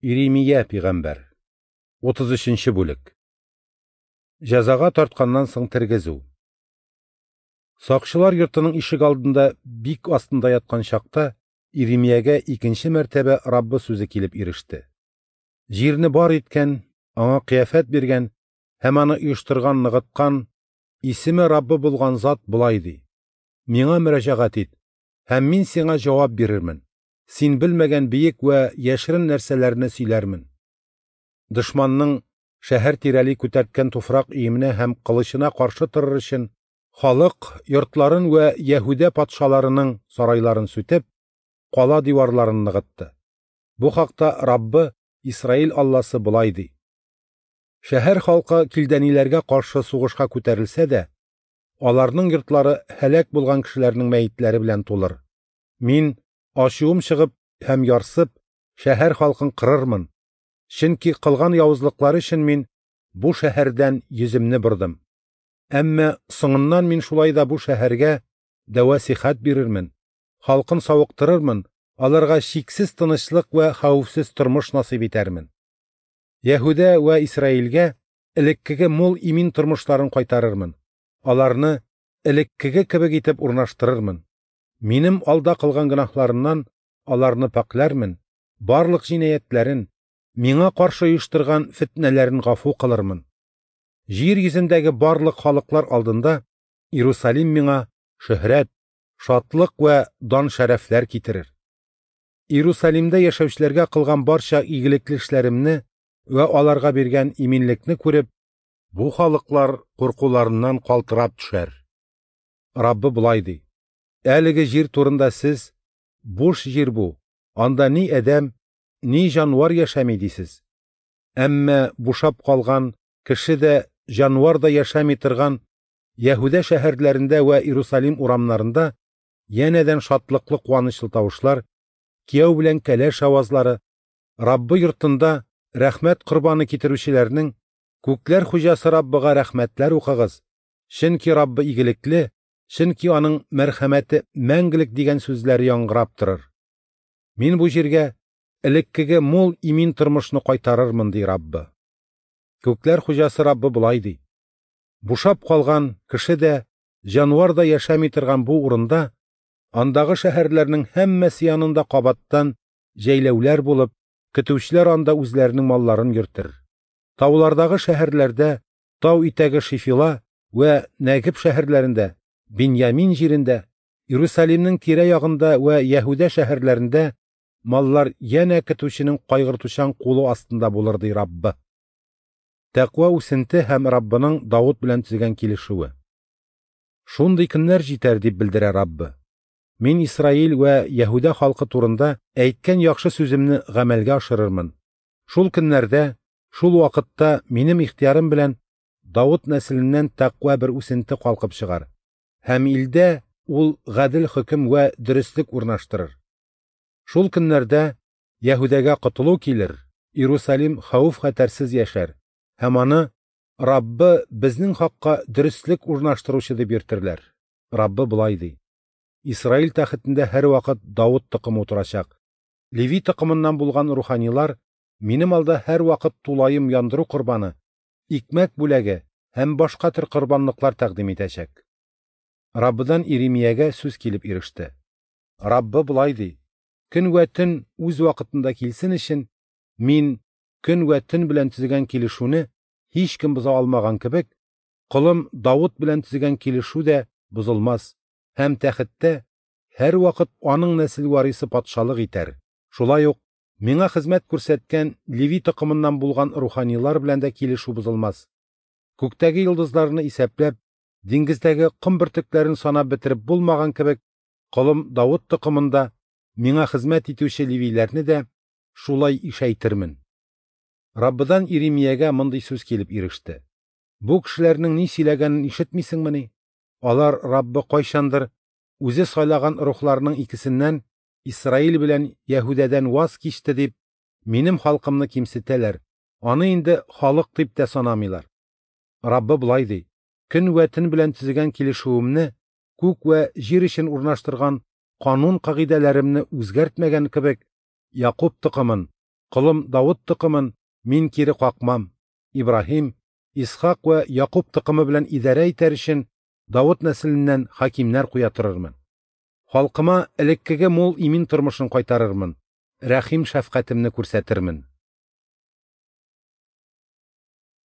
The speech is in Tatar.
Иремия пигамбәр. 33 нче бүлек. Җәзага тартканнан соң тергезү. Сакчылар йортының ишек алдында бик астында яткан чакта Иремиягә икенче мәртәбә Раббы сүзе килеп иреште. Җирне бар иткән, аңа кыяфәт биргән һәм аны оештырган, ныгыткан, исеме Раббы булган зат болай ди: Миңа мөрәҗәгать ит, һәм мин сиңа җавап бирермен. Син белмәгән биек вә яшерен нәрсәләрне сөйләрмен. Дошманның шәһәр тирәли күтәрткән туфрак өеменә һәм кылычына каршы торыр өчен, халык йортларын вә Яһүдә патшаларының сарайларын сүтеп, кала диварларын ныгытты. Бу хакта Раббы, Исраил Алласы болай ди: Шәһәр халкы килдәниләргә каршы сугышка күтәрелсә дә, аларның йортлары һәлак булган кешеләрнең мәетләре белән тулыр. Мин, ачуым чыгып һәм ярсып, шәһәр халкын кырырмын, чөнки кылган явызлыклары өчен мин бу шәһәрдән йөземне бордым. Әмма соңыннан мин шулай да бу шәһәргә дәва-сихәт бирермен, халкын савыктырырмын, аларга чиксез тынычлык вә хәвефсез тормыш насыйп итәрмен. Яһүдә вә Исраилгә элеккеге мул имин тормышларын кайтарырмын, аларны элеккеге кебек итеп урнаштырырмын. Минем алда кылган гөнаһларыннан аларны пакьләрмен, барлык җинаятьләрен, миңа каршы оештырган фетнәләрен гафу кылырмын. Җир йөзендәге барлык халыклар алдында Иерусалим миңа шөһрәт, шатлык вә дан-шәрәфләр китерер. Иерусалимдә яшәүчеләргә кылган барча игелекле эшләремне вә аларга биргән иминлекне күреп, бу халыклар куркуларыннан калтырап төшәр. Раббы болай ди: Әлеге җир турында сез, буш җир бу, анда ни адәм, ни җанвар яшәми дисез. Әмма бушап калган кеше дә, җанвар да яшәми торган Яһүдә шәһәрләрендә вә Иерусалим урамнарында янәдән шатлыклы куанычлы тавышлар, кияү белән кәләш авазлары, Раббы йортында рәхмәт корбаны китерүчеләрнең Күкләр хуҗасы Раббыга рәхмәтләр укыгыз, чөнки Раббы игелекле, чөнки аның мәрхәмәте мәңгелек дигән сүзләре яңгырап торыр. Мин бу җиргә элеккеге мул имин тормышны кайтарырмын, ди Раббы. Күкләр хуҗасы Раббы болай ди: Бушап калган кеше дә, җанвар да яшәми торган бу урында, андагы шәһәрләрнең һәммәсе янында кабаттан җәйләүләр булып, көтүчеләр анда үзләренең малларын йөртер. Таулардагы шәһәрләрдә, тау итәге Шифила вә Нәгеб шәһәрләрендә, Биньямин җирендә, Иерусалимның тирә-ягында вә Яһүдә шәһәрләрендә маллар янә көтүченең кайгыртучан кулы астында булыр, ди Раббы. Тәкъва үсенте һәм Раббының Давыт белән төзегән килешүе. Шундый көннәр җитәр, дип белдерә Раббы. Мин Исраил вә Яһүдә халкы турында әйткән яхшы сүземне гамәлгә ашырырмын. Шул көннәрдә, шул вакытта минем ихтыярым белән Давыт нәселеннән тәкъва бер үсенте калкып чыгар. Һәм илдә ул гадел хөкем вә дөреслек урнаштырыр. Шул көннәрдә Яһүдәгә котылу килер, Иерусалим хәвеф-хәтәрсез яшәр, һәм аны Раббы безнең хакка дөреслек урнаштыручы дип йөртерләр. Раббы болай ди: Исраил тәхетендә һәрвакыт Давыт токымы утырачак. Леви токымыннан булган руханилар минем алда һәрвакыт тулаем яндыру корбаны, икмәк бүләге һәм башка төр корбанлыклар тәкъдим итәчәк. Раббыдан Иремиягә сүз килеп иреште. Раббы болай ди: Көн вә төн үз вакытында килсен өчен, мин көн вә төн белән төзегән килешүне һичкем боза алмаган кебек, колым Давыт белән төзегән килешү дә бозылмас, һәм тәхеттә һәрвакыт аның нәсел варисы патшалык итәр. Шулай ук миңа хезмәт күрсәткән Леви токымыннан булган руханилар белән дә килешү бозылмас. Күктәге йолдызларны исәпләп, диңгездәге ком бөртекләрен санап бетереп булмаган кебек, колым Давыт токымында миңа хезмәт итүче левиләрне дә шулай ишәйтермен. Раббыдан Иремиягә мондый сүз килеп иреште. Бу кешеләрнең ни сөйләгәнен ишетмисеңмени? Алар Раббы кайчандыр үзе сайлаган рухларның икесеннән Исраил белән Яһүдәдән ваз кичте дип минем халкымны кимсетәләр. Аны инде халык дип тә санамыйлар. Раббы болай ди: Көн вә төн белән төзегән килешүемне, күк вә җир өчен урнаштырган канун кагыйдәләремне үзгәртмәгән кебек, Якуб токымын, Колым Давыт токымын Мин кире какмам, Ибраһим, Исхак вә Якуб токымы белән идарә итәр өчен, Давыт нәселеннән хакимнәр куя торырмын. Халкыма элеккеге мул имин тормышын кайтарырмын, рәхим-шәфкатемне күрсәтермен.